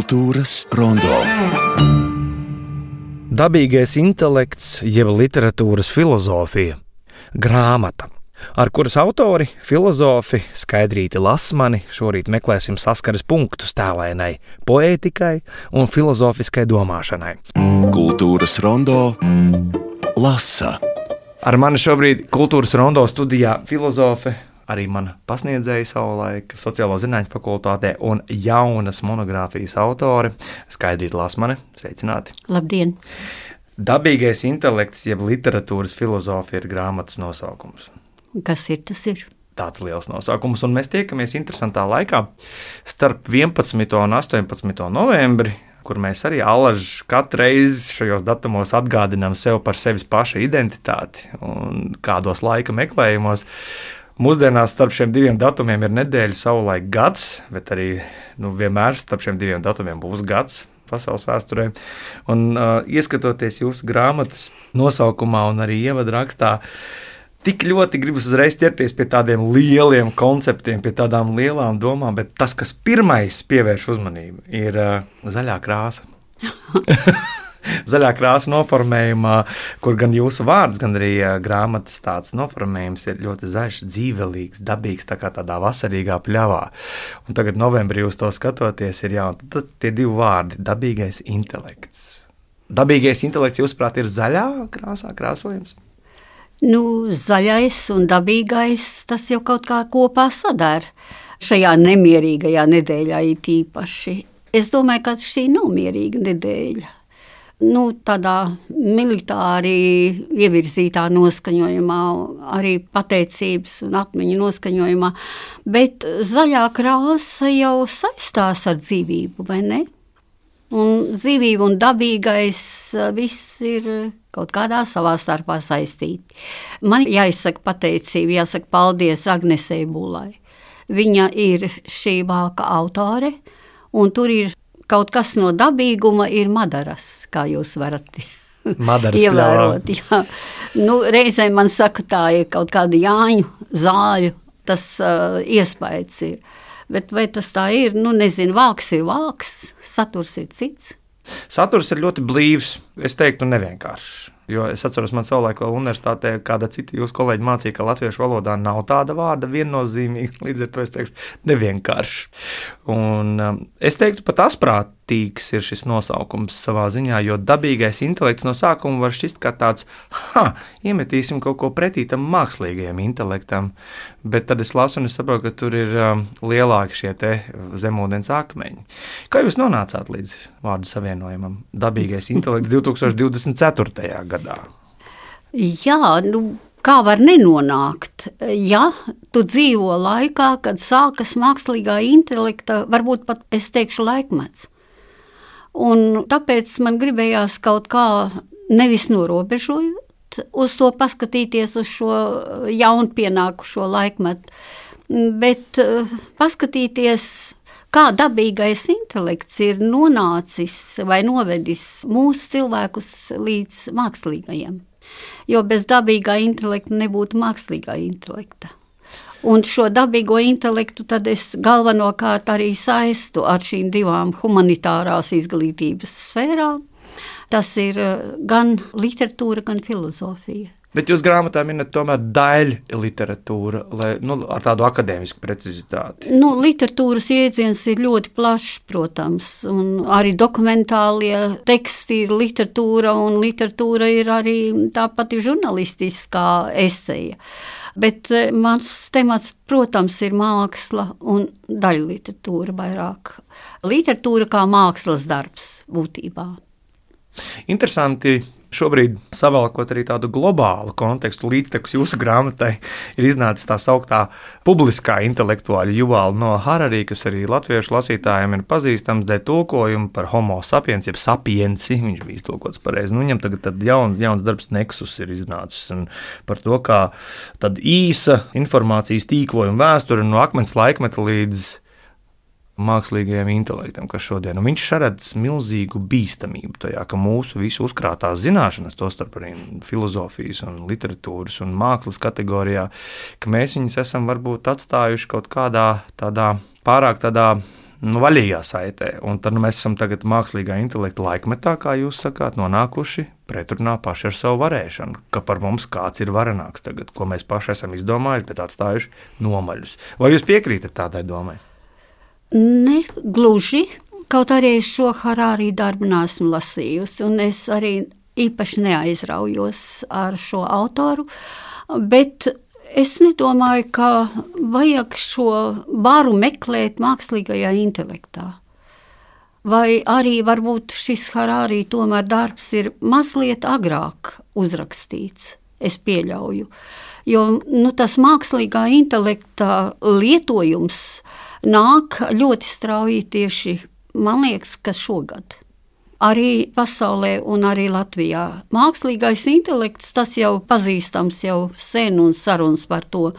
Kultūras rondo. Dabīgais intelekts, jeb literatūras filozofija, grāmata, ar kuras autori, filozofi Skaidrīti Lasmani šorīt meklēsim saskares punktus tēlainai poētikai un filozofiskai domāšanai. Kultūras rondo lasa. Ar mani šobrīd Kultūras rondo studijā filozofe, arī mana pasniedzēja savulaik sociālo zinātņu fakultātē un jaunas monogrāfijas autore Skaidrīti Lasmani. Sveicināti! Labdien! Dabīgais intelekts, jeb literatūras filozofija ir grāmatas nosaukums. Kas ir, tas ir. Tāds liels nosaukums, un mēs tiekamies interesantā laikā starp 11. un 18. novembri, kur mēs arī alaži katru reizi šajos datumos atgādinām sev par sevis paša identitāti un kādos laika meklējumos. Mūsdienās starp šiem diviem datumiem ir nedēļa, savulaik gads, bet arī vienmēr starp šiem diviem datumiem būs gads pasaules vēsturē. Un ieskatoties jūsu grāmatas nosaukumā un arī ievadrakstā, tik ļoti gribas uzreiz ķerties pie tādiem lieliem konceptiem, pie tādām lielām domām, bet tas, kas pirmais pievērš uzmanību, ir zaļā krāsa. Zaļā krāsa noformējumā, kur gan jūsu vārds, gan arī grāmatas tāds noformējums ir ļoti zaļš, dzīvelīgs, dabīgs, tā kā tādā vasarīgā pļavā. Un tagad novembrī uz to skatoties ir tad tie divi vārdi – dabīgais intelekts. Dabīgais intelekts, jūsuprāt, ir zaļā krāsā krāsojums? Zaļais un dabīgais, tas jau kaut kā kopā sadara. Šajā nemierīgajā nedēļā ir īpaši. Es domāju, ka šī nav mierīga nedēļa. Tādā militāri ievirzītā noskaņojumā, arī pateicības un atmiņu noskaņojumā, bet zaļā krāsa jau saistās ar dzīvību, vai ne? Un dzīvība un dabīgais viss ir kaut kādā savā starpā saistīti. Man jāizsaka pateicība, jāsaka paldies Agnesei Bulai. Viņa ir šī vāka autore, un tur ir kaut kas no dabīguma ir madaras, kā jūs varat ievērot. Jā. Reizēm man saka, tā ir kaut kāda jāņu, zāļu, tas iespējas ir. Bet vai tas tā ir? Nezinu, vāks ir vāks, saturs ir cits. Saturs ir ļoti blīvs, es teiktu nevienkāršs. Jo es atceros, man savulaik vēl universitātē kāda cita jūsu kolēģi mācīja, ka latviešu valodā nav tāda vārda viennozīmīga, līdz ar to es teikšu nevienkārši. Un es teiktu pat asprātīgs ir šis nosaukums savā ziņā, jo dabīgais intelekts no sākuma var šķist kā tāds, iemetīsim kaut ko pretī tam mākslīgajam intelektam, bet tad es lasu un es saprotu, ka tur ir lielāki šie te zemūdens akmeņi. Kā jūs nonācāt līdz vārdu savienojumam dabīgais intelekts 2024. gadā? Jā, kā var nenonākt? Ja tu dzīvo laikā, kad sākas mākslīgā intelekta, varbūt pat es teikšu laikmets. Un tāpēc man gribējās kaut kā nevis norobežojot uz to paskatīties uz šo jaunpienākušo laikmetu, bet paskatīties, kā dabīgais intelekts ir nonācis vai novedis mūsu cilvēkus līdz mākslīgajiem. Jo bez dabīgā intelekta nebūtu mākslīgā intelekta. Un šo dabīgo intelektu tad es galvenokārt arī saistu ar šīm divām humanitārās izglītības sfērām. Tas ir gan literatūra, gan filozofija. Bet jūs grāmatā minat tomēr daļu literatūra, ar tādu akadēmisku precizitāti. Literatūras jēdziens ir ļoti plašs, protams, un arī dokumentālie teksti ir literatūra, un literatūra ir arī tāpat žurnalistiskā eseja. Bet mans temats, protams, ir māksla un daļu literatūra vairāk. Literatūra kā mākslas darbs būtībā. Interesanti. Šobrīd, savalkot arī tādu globālu kontekstu līdztekus jūsu grāmatai, ir iznācis tā sauktā publiskā intelektuāļa Juvala Noa Harari, kas arī latviešu lasītājiem ir pazīstams dēļ tulkojuma par homo sapiens, jeb sapiensi, viņš bija iztulkots pareizi. Viņam tagad tad jauns darbs Nexus ir iznācis un par to, kā tad īsa informācijas tīklojuma vēsture no akmens laikmeta līdz mākslīgajam intelektam, kas šodien. Un viņš redz milzīgu bīstamību tajā, ka mūsu visu uzkrātās zināšanas, tostarp arī filozofijas un literatūras un mākslas kategorijā, ka mēs viņus esam varbūt atstājuši kaut kādā tādā pārāk tādā vaļīgā saitē. Un tad mēs esam tagad mākslīgā intelekta laikmetā, kā jūs sakāt, nonākuši pretrunā paši ar savu varēšanu, ka par mums kāds ir varenāks tagad, ko mēs paši esam izdomājuši, bet atstājuši nomaļus. Vai jūs piekrītat tādai domai? Ne gluži, kaut arī es šo Harārī darbu neesmu lasījusi, un es arī īpaši neaizraujos ar šo autoru, bet es nedomāju, ka vajag šo varu meklēt mākslīgajā intelektā. Vai arī varbūt šis Harārī tomēr darbs ir mazliet agrāk uzrakstīts, es pieļauju. Jo tas mākslīgā intelekta lietojums nāk ļoti strauji tieši, man liekas, ka šogad. Arī pasaulē un arī Latvijā. Mākslīgais intelekts, tas jau pazīstams jau sen un sarunas par to,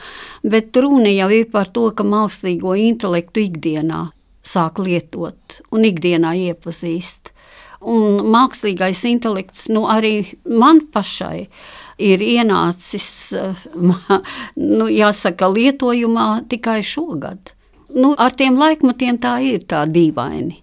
bet runa jau ir par to, ka mākslīgo intelektu ikdienā sāk lietot un ikdienā iepazīst. Un mākslīgais intelekts, arī man pašai ir ienācis, jāsaka, lietojumā tikai šogad. Ar tiem laikmatiem tā ir tā dīvaini.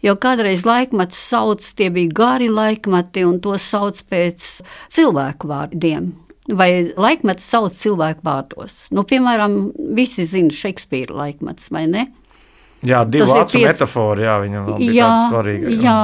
Jo kādreiz laikmetus sauc, tie bija gari laikmeti, un to sauc pēc cilvēku vārdiem. Vai laikmetus sauc cilvēku vārdos. Piemēram, visi zina Šekspīra laikmetus, vai ne? Jā, divu acu metafora, viņam vēl bija tāds svarīga. Jā,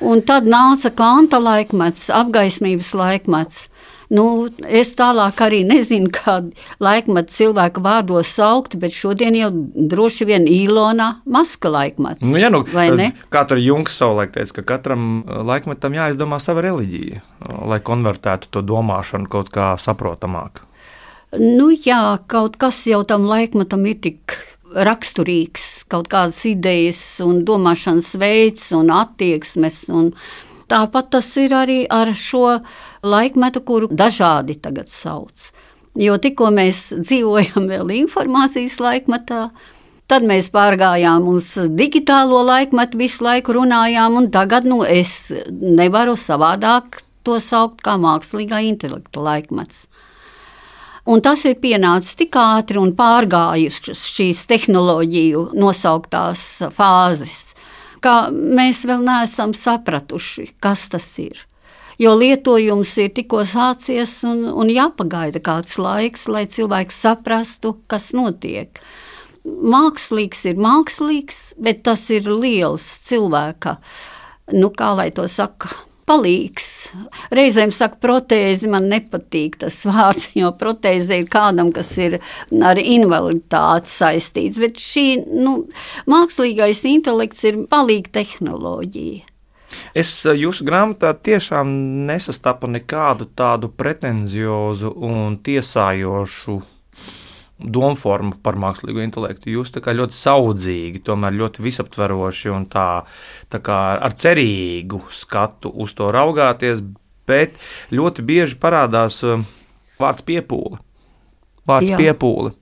un tad nāca Kanta laikmets, apgaismības laikmets. Es tālāk arī nezinu, kādu laikmetu cilvēku vārdos saukt, bet šodien jau droši vien Ilona Maska laikmets. Vai ne? Kā tur Jungs savulaik teica, ka katram laikmetam jāizdomā sava reliģija, lai konvertētu to domāšanu kaut kā saprotamāk. Jā, kaut kas jau tam laikmetam ir tik raksturīgs, kaut kādas idejas un domāšanas veids un attieksmes un tāpat tas ir arī ar šo laikmetu, kuru dažādi tagad sauc. Jo tikko mēs dzīvojam vēl informācijas laikmetā, tad mēs pārgājām uz digitālo laikmetu, visu laiku runājām, un tagad es nevaru savādāk to saukt kā mākslīgā intelekta laikmets. Un tas ir pienācis tik ātri un pārgājušas šīs tehnoloģiju nosauktās fāzes, ka mēs vēl neesam sapratuši, kas tas ir. Jo lietojums ir tikko sācies un jāpagaida kāds laiks, lai cilvēks saprastu, kas notiek. Mākslīgs ir mākslīgs, bet tas ir liels cilvēka, kā lai to saka, palīgs. Reizēm saka protēzi, man nepatīk tas vārds, jo protēze ir kādam, kas ir ar invaliditāti saistīts, bet šī, mākslīgais intelekts ir palīga tehnoloģija. Es jūsu grāmatā tiešām nesastapu nekādu tādu pretenziozu un tiesājošu domformu par mākslīgo intelektu. Jūs tā kā ļoti saudzīgi, tomēr ļoti visaptveroši un tā kā ar cerīgu skatu uz to raugāties, bet ļoti bieži parādās vārds piepūle. Piepūle.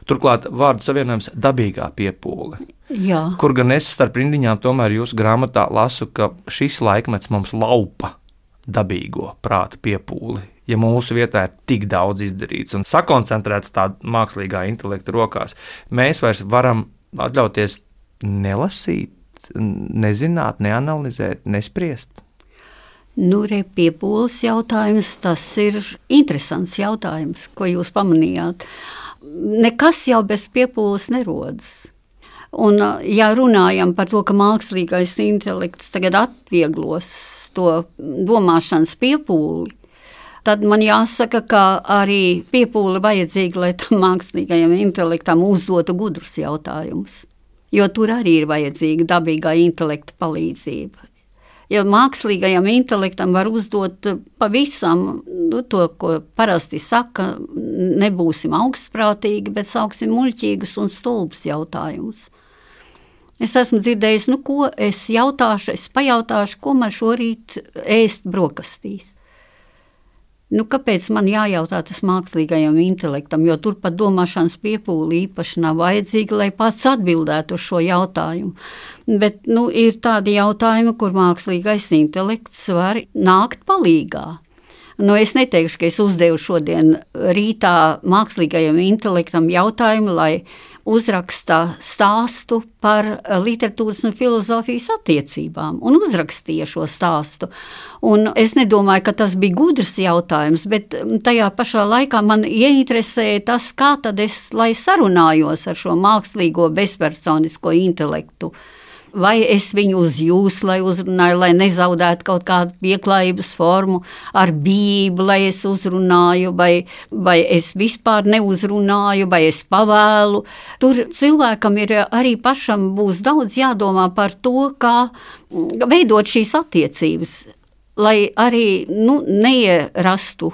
Turklāt vārdu savienojums dabīgā piepūle. Jā. Kur gan es starp rindiņām tomēr jūsu grāmatā lasu, ka šis laikmets mums laupa dabīgo prāta piepūli. Ja mūsu vietā ir tik daudz izdarīts un sakoncentrēts tā mākslīgā intelekta rokās, mēs vairs varam atļauties nelasīt, nezināt, neanalizēt, nespriest. Piepūles jautājums, tas ir interesants jautājums, ko jūs pamanījāt. Nekas jau bez piepūles nerodas. Un, ja runājam par to, ka mākslīgais intelekts tagad atvieglos to domāšanas piepūli, tad man jāsaka, ka arī piepūle vajadzīga, lai tam mākslīgajam intelektam uzdotu gudrus jautājumus. Jo tur arī ir vajadzīga dabīgā intelekta palīdzība. Jo mākslīgajam intelektam var uzdot pavisam to, ko parasti saka, nebūsim augstprātīgi, bet sauksim muļķīgus un stulbus jautājumus. Es esmu dzirdējis, ko es jautāšu, es pajautāšu, ko man šorīt ēst brokastīs. Kāpēc man jājautā tas mākslīgajam intelektam, jo tur pat domāšanas piepūle īpaši nav vajadzīga, lai pats atbildētu uz šo jautājumu. Bet ir tādi jautājumi, kur mākslīgais intelekts var nākt palīgā. Es neteikšu, ka es uzdevu šodien rītā mākslīgajam intelektam jautājumu, lai uzraksta stāstu par literatūras un filozofijas attiecībām un uzrakstīja šo stāstu. Un es nedomāju, ka tas bija gudrs jautājums, bet tajā pašā laikā man ieinteresēja tas, kā tad es, lai sarunājos ar šo mākslīgo bezpersonisko intelektu. Vai es viņu uz jūs, lai uzrunāju, lai nezaudētu kaut kādu pieklājības formu ar bību, lai es uzrunāju, vai es vispār neuzrunāju, vai es pavēlu. Tur cilvēkam ir arī pašam būs daudz jādomā par to, kā veidot šīs attiecības, lai arī neierastu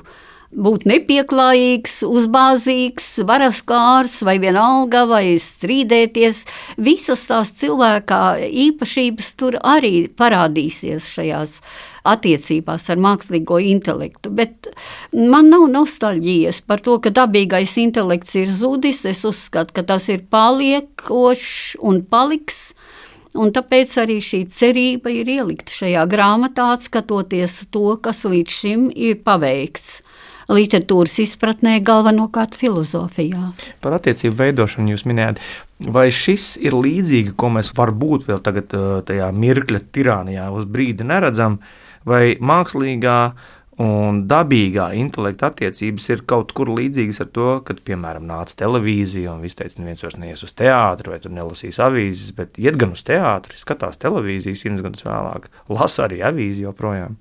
būt nepieklājīgs, uzbāzīgs, varaskārs vai vienalga, vai strīdēties. Visas tās cilvēkā īpašības tur arī parādīsies šajās attiecībās ar mākslīgo intelektu. Bet man nav nostalģijas par to, ka dabīgais intelekts ir zudis. Es uzskatu, ka tas ir paliekošs un paliks. Un tāpēc arī šī cerība ir ielikta šajā grāmatā, skatoties to, kas līdz šim ir paveikts literatūras izpratnē, galvenokārt filozofijā. Par attiecību veidošanu jūs minējāt. Vai šis ir līdzīgi, ko mēs varbūt vēl tagad tajā mirkļa tirānijā uz brīdi neredzam, vai mākslīgā un dabīgā intelekta attiecības ir kaut kur līdzīgas ar to, kad, piemēram, nāca televīzija un viss teica, neviens vairs neies uz teātri vai tur nelasīs avīzes, bet iet gan uz teātri, skatās televīziju 100 gadus vēlāk, lasa arī avīzi joprojām.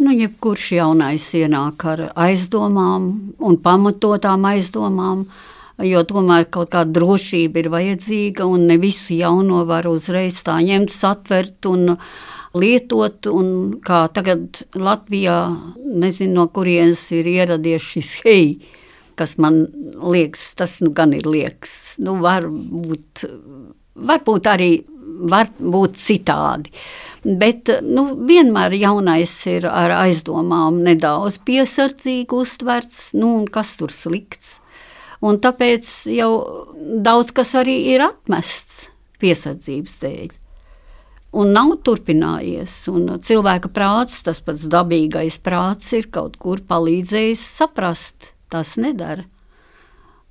Jebkurš jaunais ienāk ar aizdomām un pamatotām aizdomām, jo tomēr kaut kāda drošība ir vajadzīga un ne visu jauno var uzreiz tā ņemt, satvert un lietot. Un kā tagad Latvijā, nezinu no kurienes ir ieradies šis hei, kas man liekas, tas gan ir liekas, varbūt arī var būt citādi. Bet vienmēr jaunais ir ar aizdomām nedaudz piesardzīgi uztverts, un kas tur slikts. Un tāpēc jau daudz kas arī ir atmests piesardzības dēļ. Un nav turpinājies, un cilvēka prāts, tas pats dabīgais prāts, ir kaut kur palīdzējis saprast, tas nedara.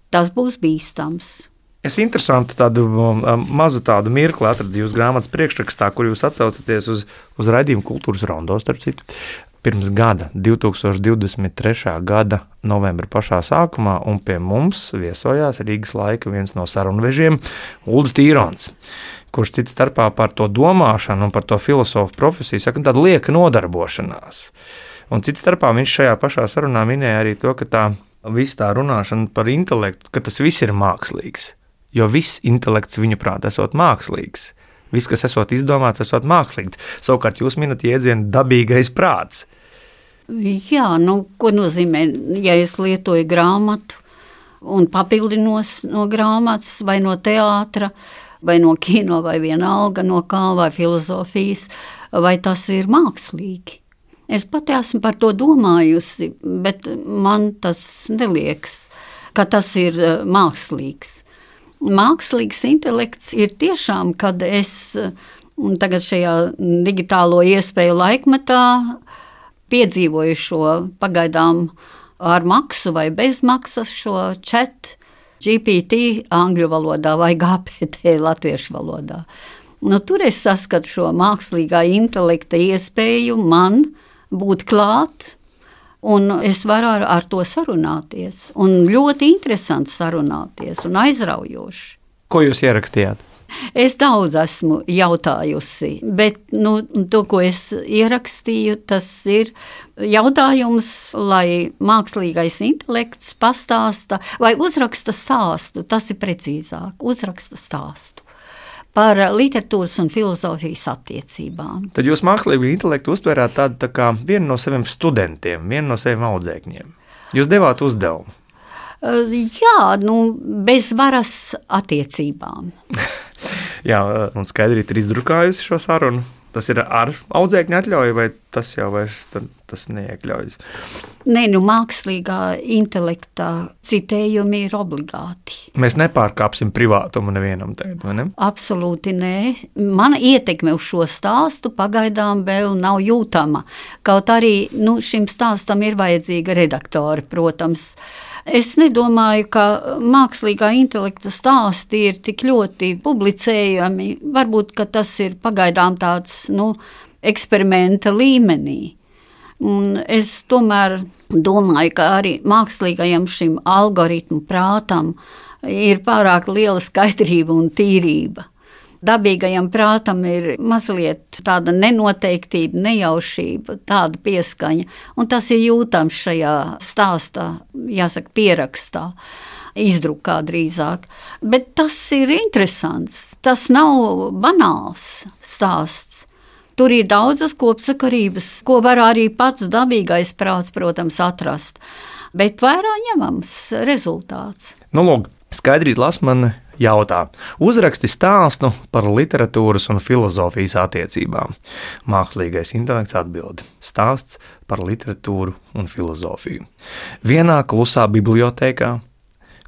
Tas būs bīstams. Es interesanti tādu mazu tādu mirkli atradu jūsu grāmatas priekšrakstā, kur jūs atsaucaties uz raidījumu Kultūras rondo, starp citu, pirms gada, 2023. gada novembra pašā sākumā, un pie mums viesojās Rīgas laika viens no sarunvežiem, Uldis Tīrons, kurš cits starpā par to domāšanu un par to filozofu profesiju saka, tāda lieka nodarbošanās. Un cits starpā viņš šajā pašā sarunā minēja arī to, ka viss tā runāšana par intelektu, ka tas viss ir mākslīgs. Jo viss intelekts viņuprāt esot mākslīgs. Viss, kas esot izdomāts, esot mākslīgs. Savukārt jūs minat jēdzienu dabīgais prāts. Jā, ko nozīmē, ja es lietoju grāmatu un papildinos no grāmatas vai no teātra, vai no kino, vai vienalga no kā, vai filozofijas, vai tas ir mākslīgi. Es pati esmu par to domājusi, bet man tas neliekas, ka tas ir mākslīgs. Mākslīgs intelekts ir tiešām, kad es tagad šajā digitālo iespēju laikmetā piedzīvoju šo pagaidām ar maksu vai bez maksas šo chat GPT angļu valodā vai GPT latviešu valodā. Tur es saskatu šo mākslīgā intelekta iespēju man būt klāt, un es varu ar to sarunāties. Un ļoti interesanti sarunāties un aizraujoši. Ko jūs ierakstījāt? Es daudz esmu jautājusi, bet to, ko es ierakstīju, tas ir jautājums, lai mākslīgais intelekts pastāsta vai uzraksta stāstu, tas ir precīzāk, uzraksta stāstu par literatūras un filozofijas attiecībām. Tad jūs mākslīgo intelektu uztvērāt tādu tā kā vienu no saviem studentiem, vienu no saviem audzēkņiem. Jūs devāt uzdevumu. Jā, bez varas attiecībām. Jā, un skaidrīt ir izdrukājusi šo sarunu. Tas ir ar audzēkņu atļauju vai tas jau vairs tas neiekļaujas. Nē, mākslīgā intelekta citējumi ir obligāti. Mēs nepārkāpsim privātumu nevienam tagad, vai ne? Absolūti nē. Mana ietekme uz šo stāstu pagaidām vēl nav jūtama. Kaut arī šim stāstam ir vajadzīga redaktori, protams. Es nedomāju, ka mākslīgā intelekta stāsti ir tik ļoti publicējami. Varbūt, ka tas ir pagaidām tāds, eksperimenta līmenī. Un es tomēr domāju, ka arī mākslīgajam šim algoritmu prātam ir pārāk liela skaidrība un tīrība. Dabīgajam prātam ir mazliet tāda nenoteiktība, nejaušība, tāda pieskaņa, un tas ir jūtams šajā stāstā, jāsaka, pierakstā, izdrukā drīzāk. Bet tas ir interesants, tas nav banāls stāsts. Tur ir daudzas kopsakarības, ko var arī pats dabīgais prāts, protams, atrast, bet vērā ņemams rezultāts. Lūk, Skaidrīta Lasmane jautā, uzraksti stāstu par literatūras un filozofijas attiecībām. Mākslīgais intelekts atbild, stāsts par literatūru un filozofiju. Vienā klusā bibliotēkā,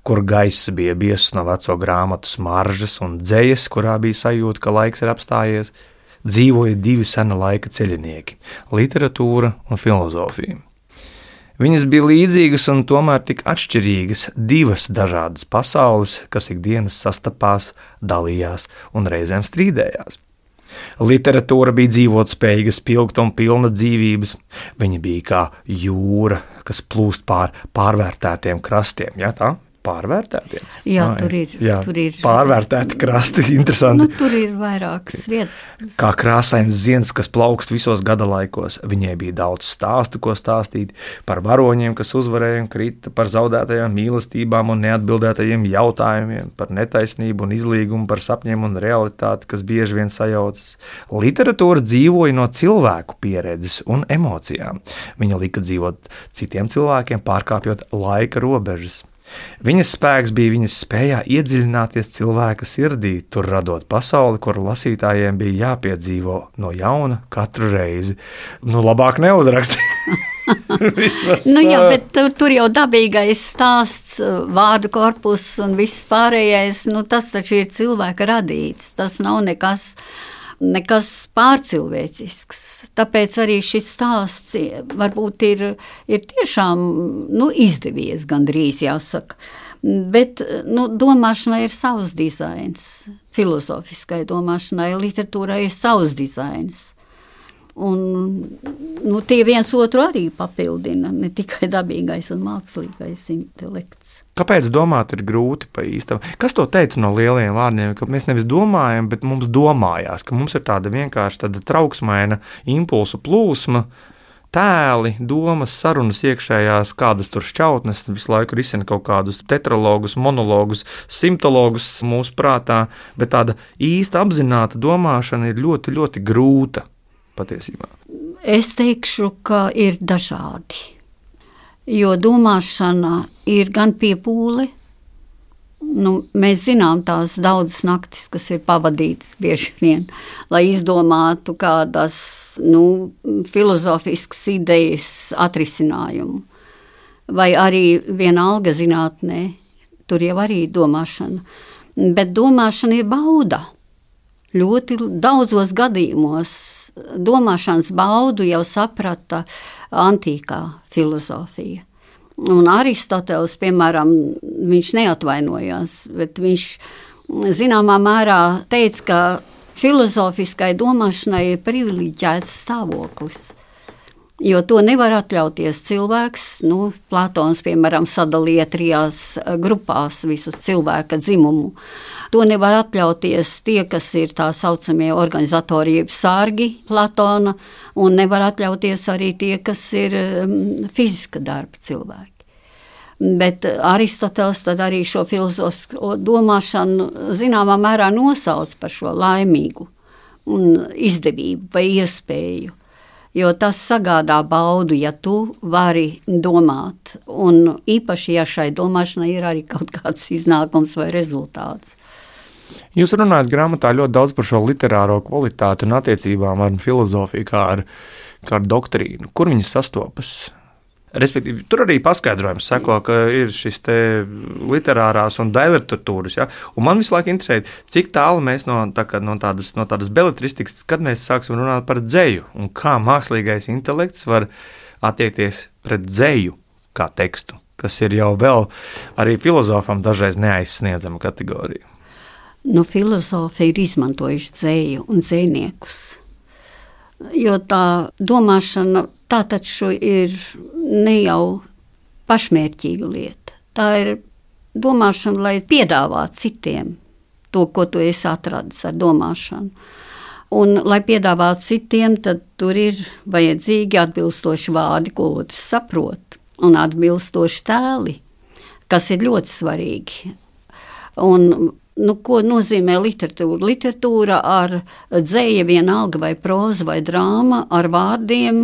kur gaiss bija biezs no veco grāmatu smaržas un dzejas, kurā bija sajūta, ka laiks ir apstājies, dzīvoja divi sena laika ceļinieki – literatūra un filozofija. Viņas bija līdzīgas un tomēr tik atšķirīgas, divas dažādas pasaules, kas ikdienas sastapās, dalījās un reizēm strīdējās. Literatūra bija dzīvotspējīga, spilgta un pilna dzīvības. Viņa bija kā jūra, kas plūst pārvērtētiem krastiem, ja tā? Pārvērtētiem? Jā, tur ir pārvērtēti krasti, interesanti. Tur ir vairākas vietas. Kā krāsains ziens, kas plaukst visos gada laikos. Viņai bija daudz stāstu, ko stāstīt par varoņiem, kas uzvarēja un krita, par zaudētajām mīlestībām un neatbildētajiem jautājumiem, par netaisnību un izlīgumu, par sapņiem un realitāti, kas bieži vien sajaucas. Literatūra dzīvoja no cilvēku pieredzes un emocijām. Viņa lika dzīvot citiem cilvēkiem, pārkāpjot laika robežas. Viņas spēks bija viņas spējā iedziļināties cilvēka sirdī, tur radot pasauli, kur lasītājiem bija jāpiedzīvo no jauna katru reizi. Labāk neuzraksti. Jā, bet tur jau dabīgais stāsts, vārdu korpus un viss pārējais, tas taču ir cilvēka radīts, tas nav nekas pārcilvēcisks. Tāpēc arī šis stāsts varbūt ir tiešām izdevies, gandrīz jāsaka. Bet domāšanai ir savs dizains, filozofiskai domāšanai, literatūrai ir savs dizains. Un tie viens otru arī papildina, ne tikai dabīgais un mākslīgais intelekts. Kāpēc domāt ir grūti pa īstam? Kas to teica no lieliem vārdiem, ka mēs nevis domājam, bet mums domājās, ka mums ir tāda vienkārši tāda trauksmaina impulsu plūsma, tēli, domas, sarunas iekšējās, kādas tur šķautnes, visu laiku risina kaut kādus tetralogus, monologus, simtologus mūsu prātā, bet tāda īsta apzināta domāšana ir ļoti, ļoti grūta. Patiesībā. Es teikšu, ka ir dažādi, jo domāšana ir gan piepūle. Mēs zinām tās daudzas naktis, kas ir pavadītas bieži vien, lai izdomātu kādas filozofiskas idejas atrisinājumu. Vai arī vienalga zinātnē, tur jau arī domāšana. Bet domāšana ir bauda. Ļoti daudzos gadījumos domāšanas baudu jau saprata antīkā filozofija. Un Aristoteles, piemēram, viņš neatvainojās, bet viņš zināmā mērā teica, ka filozofiskai domāšanai ir privileģēts stāvoklis, jo to nevar atļauties cilvēks. Platons, piemēram, sadalīja 3 grupās visu cilvēka dzimumu. To nevar atļauties tie, kas ir tā saucamie organizatori, jeb sārgi Platona, un nevar atļauties arī tie, kas ir fiziska darba cilvēki. Bet Aristoteles tad arī šo filozofisko domāšanu zināmā mērā nosauc par šo laimīgu un izdevību vai iespēju. Jo tas sagādā baudu, ja tu vari domāt, un īpaši, ja šai domāšanai ir arī kaut kāds iznākums vai rezultāts. Jūs runājat grāmatā ļoti daudz par šo literāro kvalitāti un attiecībām ar filozofiju, kā ar doktrīnu. Kur viņas sastopas? Respektīvi, tur arī paskaidrojums seko, ka ir šis te literārās un daļliteratūras. Ja? Un man visu laiku interesē, cik tālu mēs no tādas beletristikas, kad mēs sāksim runāt par dzeju un kā mākslīgais intelekts var attiekties pret dzeju kā tekstu, kas ir jau vēl arī filozofam dažreiz neaizsniedzama kategorija. Filozofi ir izmantojuši dzeju un dzejniekus, jo tā domāšana tā taču ir ne jau pašmērķīga lieta. Tā ir domāšana, lai piedāvātu citiem to, ko tu esi atradis ar domāšanu. Un, lai piedāvātu citiem, tad tur ir vajadzīgi atbilstoši vārdi, ko otrs saprot, un atbilstoši tēli, kas ir ļoti svarīgi. Un ko nozīmē literatūra? Literatūra ar dzeja vienalga vai proza vai drāma ar vārdiem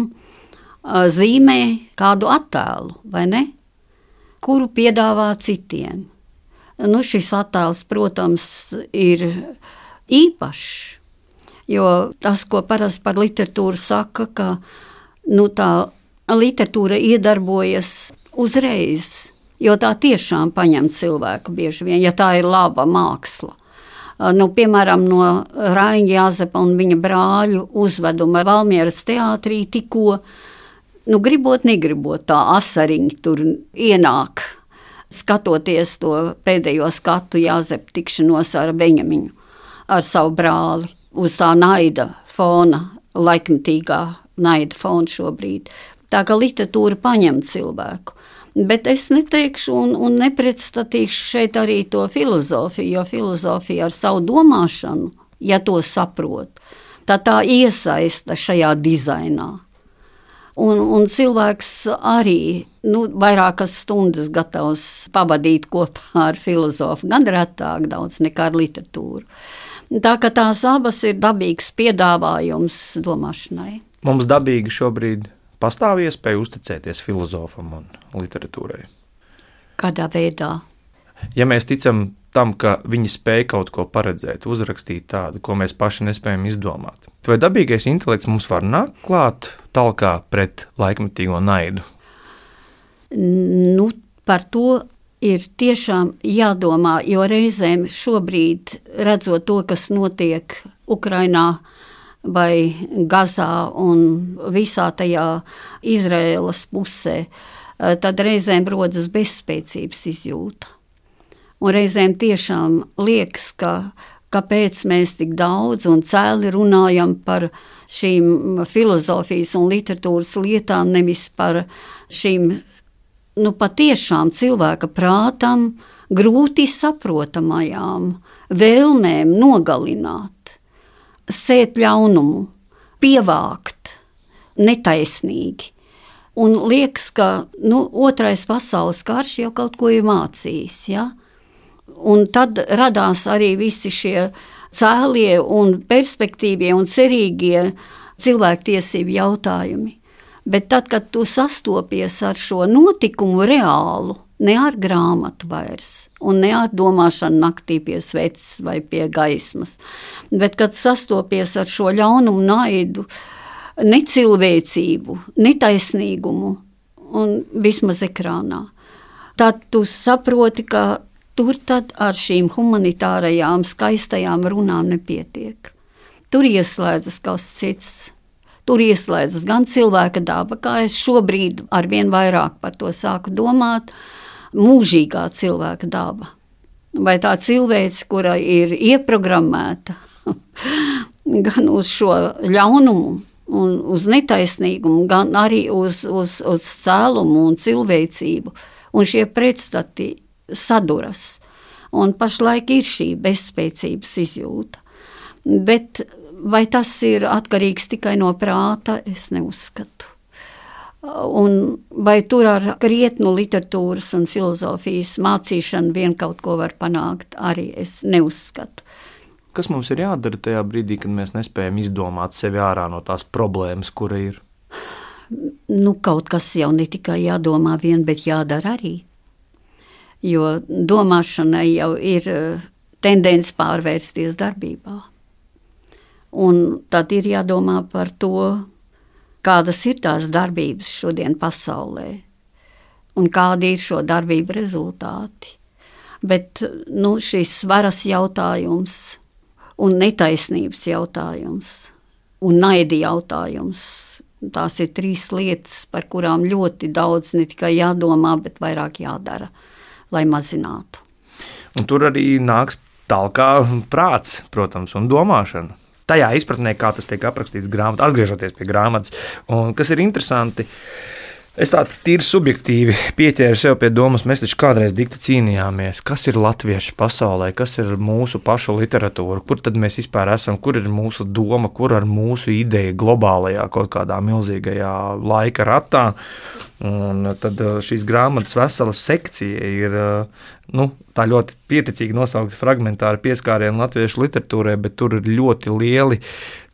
zīmē kādu attēlu, vai ne? Kuru piedāvā citiem. Šis attēls, protams, ir īpašs, jo tas, ko parasti par literatūru saka, ka tā literatūra iedarbojas uzreiz, jo tā tiešām paņem cilvēku bieži vien, ja tā ir laba māksla. Piemēram, no Raiņa Jāzepa un viņa brāļu uzveduma Valmieras teātrī tikko, gribot, negribot, tā asariņa tur ienāk, skatoties to pēdējo skatu Jāzepa tikšanos ar Beņamiņu, ar savu brāli, uz tā naida fona, laikmetīgā naida fona šobrīd. Tā kā literatūra paņem cilvēku. Bet es neteikšu un nepretstatīšu šeit arī to filozofiju, jo filozofija ar savu domāšanu, ja to saprot, tā iesaista šajā dizainā. Un cilvēks arī vairākas stundas gatavs pavadīt kopā ar filozofu, gan retāk daudz nekā ar literatūru. Tā ka tās abas ir dabīgs piedāvājums domāšanai. Mums dabīgi šobrīd pastāv iespēja uzticēties filozofam un literatūrai? Kādā veidā? Ja mēs ticam tam, ka viņi spēj kaut ko paredzēt, uzrakstīt tādu, ko mēs paši nespējam izdomāt, vai dabīgais intelekts mums var nākt klāt talkā pret laikmetīgo naidu? Par to ir tiešām jādomā, jo reizēm šobrīd, redzot to, kas notiek Ukrainā, vai Gazā un visā tajā Izraēlas pusē, tad reizēm rodas bezspēcības izjūta. Un reizēm tiešām liekas, kāpēc mēs tik daudz un cēli runājam par šīm filozofijas un literatūras lietām, nevis par šīm patiešām cilvēka prātam grūti saprotamajām vēlmēm nogalināt, sēt ļaunumu, pievākt netaisnīgi. Un liekas, ka otrais pasaules karš jau kaut ko ir mācījis. Ja? Un tad radās arī visi šie cēlie un perspektīvie un cerīgie cilvēktiesību jautājumi. Bet tad, kad tu sastopies ar šo notikumu reālu, ne ar grāmatu vairs, un ne ar domāšanu naktī pie sveces vai pie gaismas, bet kad sastopies ar šo ļaunumu, naidu, necilvēcību, netaisnīgumu un vismaz ekrānā, tad tu saproti, ka tur tad ar šīm humanitārajām skaistajām runām nepietiek. Tur ieslēdzas kaut kas cits. Tur ieslēdzas gan cilvēka daba, kā es šobrīd arvien vairāk par to sāku domāt, mūžīgā cilvēka daba. Vai tā cilvēce, kura ir ieprogrammēta gan uz šo ļaunumu un uz netaisnīgumu, gan arī uz cēlumu un cilvēcību. Un šie pretstati saduras. Un pašlaik ir šī bezspēcības izjūta. Bet vai tas ir atkarīgs tikai no prāta, es neuzskatu. Un vai tur ar krietnu literatūras un filozofijas mācīšanu vien kaut ko var panākt, arī es neuzskatu. Kas mums ir jādara tajā brīdī, kad mēs nespējam izdomāt sevi ārā no tās problēmas, kura ir? Kaut kas jau ne tikai jādomā vien, bet jādara arī. Jo domāšanai jau ir tendence pārvērsties darbībā. Un tad ir jādomā par to, kādas ir tās darbības šodien pasaulē un kādi ir šo darbību rezultāti. Bet šis varas jautājums un netaisnības jautājums un naida jautājums, tās ir 3 lietas, par kurām ļoti daudz ne tikai jādomā, bet vairāk jādara, lai mazinātu. Un tur arī nāks talkā prāts, protams, un domāšana. Tajā izpratnē, kā tas tiek aprakstīts grāmatā, atgriežoties pie grāmatas. Un kas ir interesanti, es tā tīri subjektīvi pieķēru sev pie domas, mēs taču kādreiz dikti cīnījāmies, kas ir latvieši pasaulē, kas ir mūsu pašu literatūra, kur tad mēs vispār esam, kur ir mūsu doma, kur ir mūsu ideja globālajā kaut kādā milzīgajā laika ratā. Un tad šīs grāmatas vesela sekcija ir tā ļoti pieticīgi nosaukta fragmentāra pieskāriena latviešu literatūrai, bet tur ir ļoti lieli,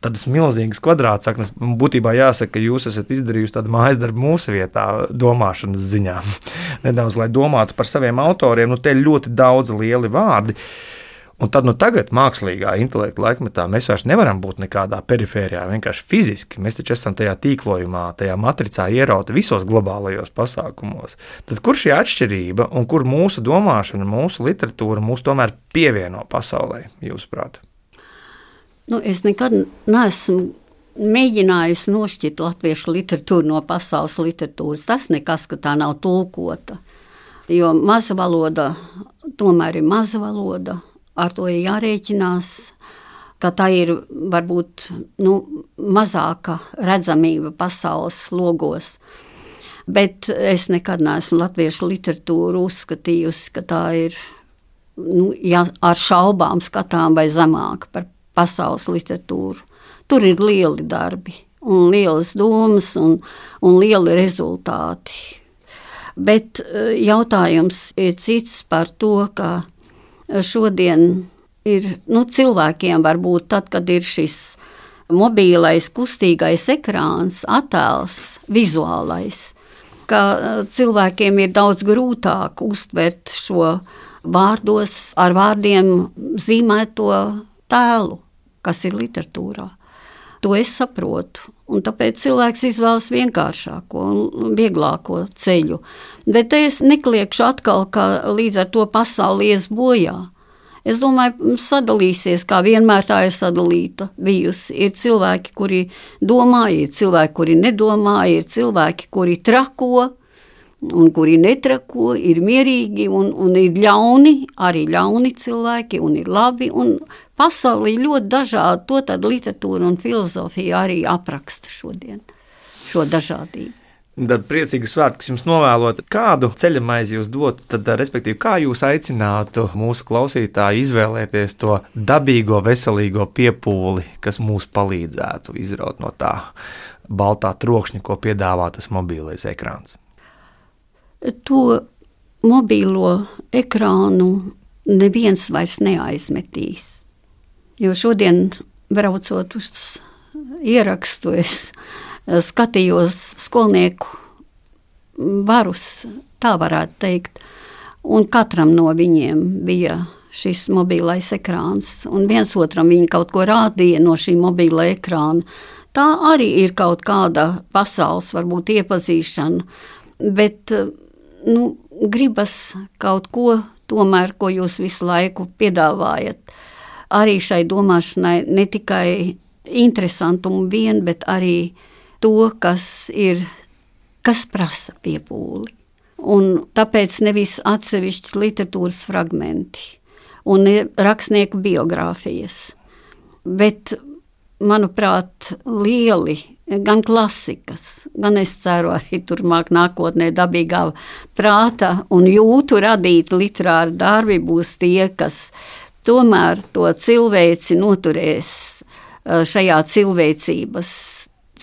tādas milzīgas kvadrātsaknes. Būtībā jāsaka, ka jūs esat izdarījusi tādu mājas darbu mūsu vietā, domāšanas ziņā. Nedaudz, lai domātu par saviem autoriem, te ir ļoti daudz lieli vārdi. Un tad tagad, mākslīgā intelekta laikmetā, mēs vairs nevaram būt nekādā perifērijā, vienkārši fiziski. Mēs taču esam tajā tīklojumā, tajā matricā ierauti visos globālajos pasākumos. Tad kur šī atšķirība un kur mūsu domāšana, mūsu literatūra mūs tomēr pievieno pasaulē, jūsuprāt? Es nekad neesmu mēģinājusi nošķirt latviešu literatūru no pasaules literatūras. Tas nekas, ka tā nav tulkota, jo maza valoda tomēr ir maza valoda. Ar to ir jārēķinās, ka tā ir varbūt mazāka redzamība pasaules logos. Bet es nekad neesmu latviešu literatūru uzskatījusi, ka tā ir ar šaubām skatām vai zemāka par pasaules literatūru. Tur ir lieli darbi un lielas domas un lieli rezultāti. Bet jautājums ir cits par to, ka šodien ir cilvēkiem varbūt tad, kad ir šis mobīlais, kustīgais ekrāns, attēls, vizuālais, ka cilvēkiem ir daudz grūtāk uztvert šo ar vārdiem zīmēto tēlu, kas ir literatūrā. To es saprotu, un tāpēc cilvēks izvēlas vienkāršāko un vieglāko ceļu. Bet es nekliekšu atkal, ka līdz ar to pasauli ies bojā. Es domāju, sadalīsies, kā vienmēr tā ir sadalīta bijusi. Ir cilvēki, kuri domā, ir cilvēki, kuri nedomā, ir cilvēki, kuri trako un kuri netrako, ir mierīgi un ir ļauni, arī ļauni cilvēki, un ir labi, un pasaulī ļoti dažādi, to tad literatūra un filozofija arī apraksta šodien, šo dažādību. Tad priecīgi svētkus jums novēlot. Kādu ceļamaizi jūs dotu, tad, respektīvi, kā jūs aicinātu mūsu klausītāju izvēlēties to dabīgo, veselīgo piepūli, kas mūs palīdzētu izraut no tā baltā trokšņa, ko piedāvā tas mobīlais ekrāns? To mobīlo ekrānu neviens vairs neaizmetīs. Jo šodien, braucot uz ierakstu, es skatījos skolnieku varus, tā varētu teikt, un katram no viņiem bija šis mobilais ekrāns, un viens otram viņi kaut ko rādīja no šī mobila ekrāna. Tā arī ir kaut kāda pasaules, varbūt iepazīšana, bet gribas kaut ko tomēr, ko jūs visu laiku piedāvājat. Arī šai domāšanai ne tikai interesantumu vien, bet arī to, kas prasa piepūli. Un tāpēc nevis atsevišķi literatūras fragmenti un rakstnieku biogrāfijas, bet, manuprāt, lieli, gan klasikas, gan es ceru arī turmāk nākotnē dabīgā prāta un jūtu radīti literāri darbi būs tie, kas tomēr to cilvēci noturēs šajā cilvēcības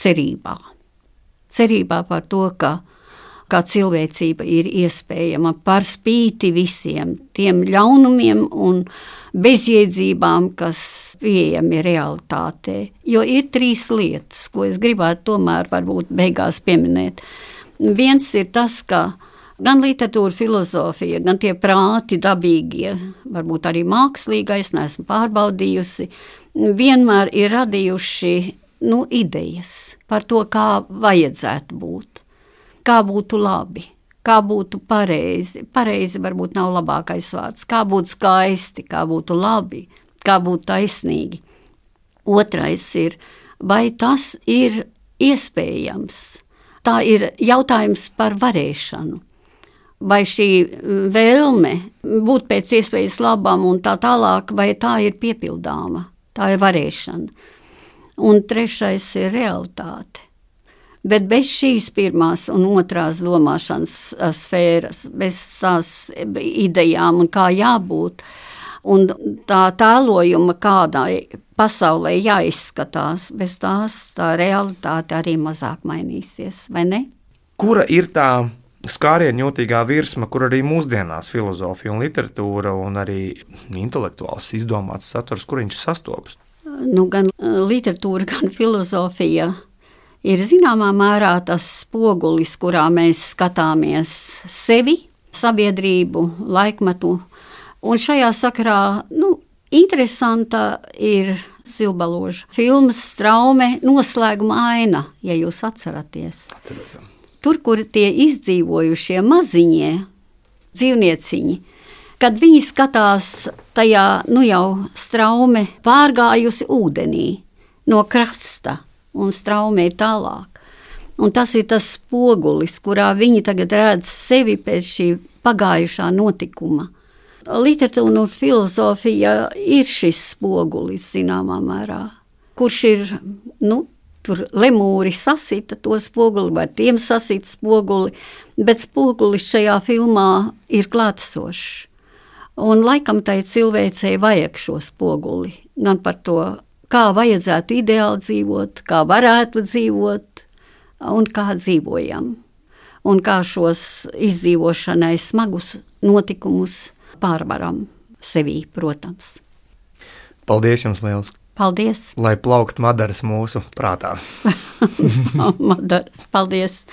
cerībā. Cerībā par to, ka cilvēcība ir iespējama par spīti visiem tiem ļaunumiem un bezjēdzībām, kas pieejami realitātē. Jo ir 3 lietas, ko es gribētu tomēr varbūt beigās pieminēt. Viens ir tas, ka Gan literatūra, filozofija, gan tie prāti dabīgie, varbūt arī mākslīgais, neesmu pārbaudījusi, vienmēr ir radījuši idejas par to, kā vajadzētu būt, kā būtu labi, kā būtu pareizi. Pareizi varbūt nav labākais vārds. Kā būtu skaisti, kā būtu labi, kā būtu taisnīgi. Otrais ir, vai tas ir iespējams? Tā ir jautājums par varēšanu. Vai šī vēlme būt pēc iespējas labam un tā tālāk, vai tā ir piepildāma? Tā ir varēšana. Un trešais ir realitāte. Bet bez šīs pirmās un otrās domāšanas sfēras, bez tās idejām un kā jābūt, un tā tēlojuma kādai pasaulē jāizskatās, bez tās tā realitāte arī mazāk mainīsies, vai ne? Kura ir tā skārienjūtīgā virsma, kur arī mūsdienās filozofija un literatūra un arī intelektuāls izdomāts saturs, kur viņš sastopas? Gan literatūra, gan filozofija ir zināmā mērā tas spogulis, kurā mēs skatāmies sevi, sabiedrību, laikmetu. Un šajā sakarā, interesanta ir Silbaloža filmas Straume noslēguma aina, ja jūs atceraties. Atceros. Tur, kur tie izdzīvojušie maziņie dzīvnieciņi, kad viņi skatās tajā, jau straume pārgājusi ūdenī no krasta, un straumē tālāk. Un tas ir tas spogulis, kurā viņi tagad redz sevi pēc šī pagājušā notikuma. Literatūra un filozofija ir šis spogulis zināmā mērā, kurš ir, tur lemūri sasita to spoguli, vai tiem sasita spoguli, bet spogulis šajā filmā ir klātesošs. Un laikam tai cilvēcei vajag šo spoguli, gan par to, kā vajadzētu ideāli dzīvot, kā varētu dzīvot un kā dzīvojam. Un kā šos izdzīvošanai smagus notikumus pārvaram sevī, protams. Paldies jums liels! Paldies! Lai plaukst madaras mūsu prātā! Madaras, paldies!